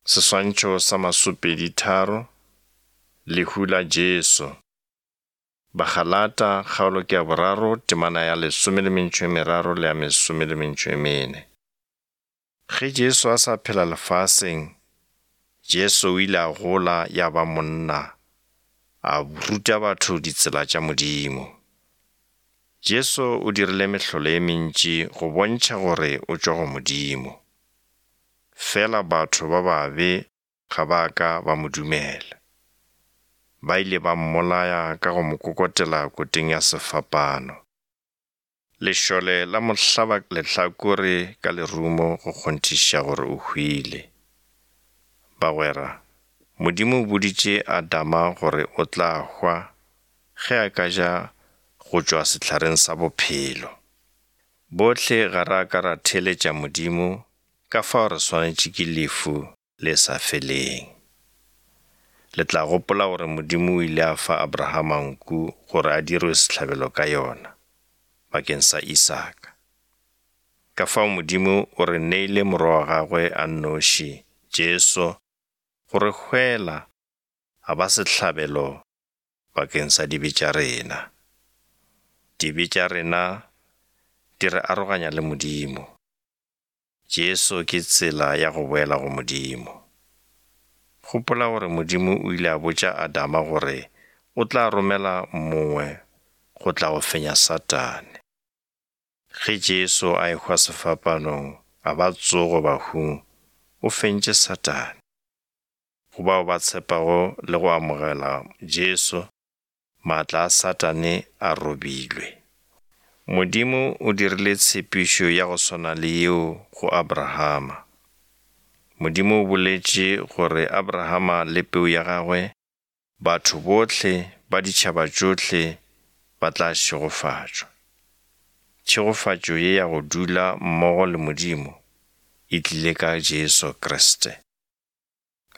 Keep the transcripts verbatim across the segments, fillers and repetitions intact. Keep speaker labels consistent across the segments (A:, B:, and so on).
A: Seswantšho sa masomepedi-tharo, lehu la Jesu. Bagalata kgaolo ke ya boraro temana ya lesome le metšo e meraro le ya mesome le metšo e mene. Ge Jesu a sa phela lefaseng, Jesu o ile a gola ya ba monna, a ruta batho ditsela tša Modimo. Jesu o dirile mehlolo e mentši go bontšha gore o tšwa go Modimo. Fela batho ba babe ga ba ka ba mo dumela. Ba ile ba mmolaya ka go mo kokotela koteng ya sefapano. Lešole la mo hlaba lehlakore ka lerumo go kgonthišiša gore o hwile. Bagwera, Modimo o boditše Adama gore o tla hwa ge a ka ja go tšwa sehlareng sa bophelo. Bohle ga ra ka ra theeletša Modimo, ka fao re swanetše ke lehu le sa feleng. Le tla gopola gore Modimo o ile a fa Abrahama nku gore a dirwe sehlabelo ka yona, bakeng sa Isaka. Ka fao Modimo o re neile morwa wa gagwe a nnoši, Jesu, go re hwela a ba sehlabelo bakeng sa dibe tša rena. Dibe tša rena di re aroganya le Modimo. Jesu ke tsela ya go boela go Modimo. Gopola gore Modimo o ile a botša Adama gore o tla romela mongwe go tla go fenya Satane. Ge Jesu a ehwa sefapanong a ba tsogo bahung, o fentše Satane. Go bao ba tshepago le go amogela Jesu, maatla a Satane a robilwe. Modimo o dirile tshepišo ya go swana le yeo go Abrahama. Modimo o boletše gore Abrahama le peu ya gagwe, batho bohle ba ditšhaba tšohle ba tla šegofatšwa. Tšhegofatšo ye ya go dula mmogo le Modimo e tlile ka Jesu Kriste.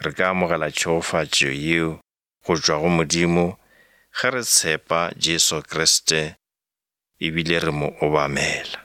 A: Re ka amogela tšhegofatšo yeo go tšwa go Modimo ge re tshepa Jesu Kriste ebile re mo obamela.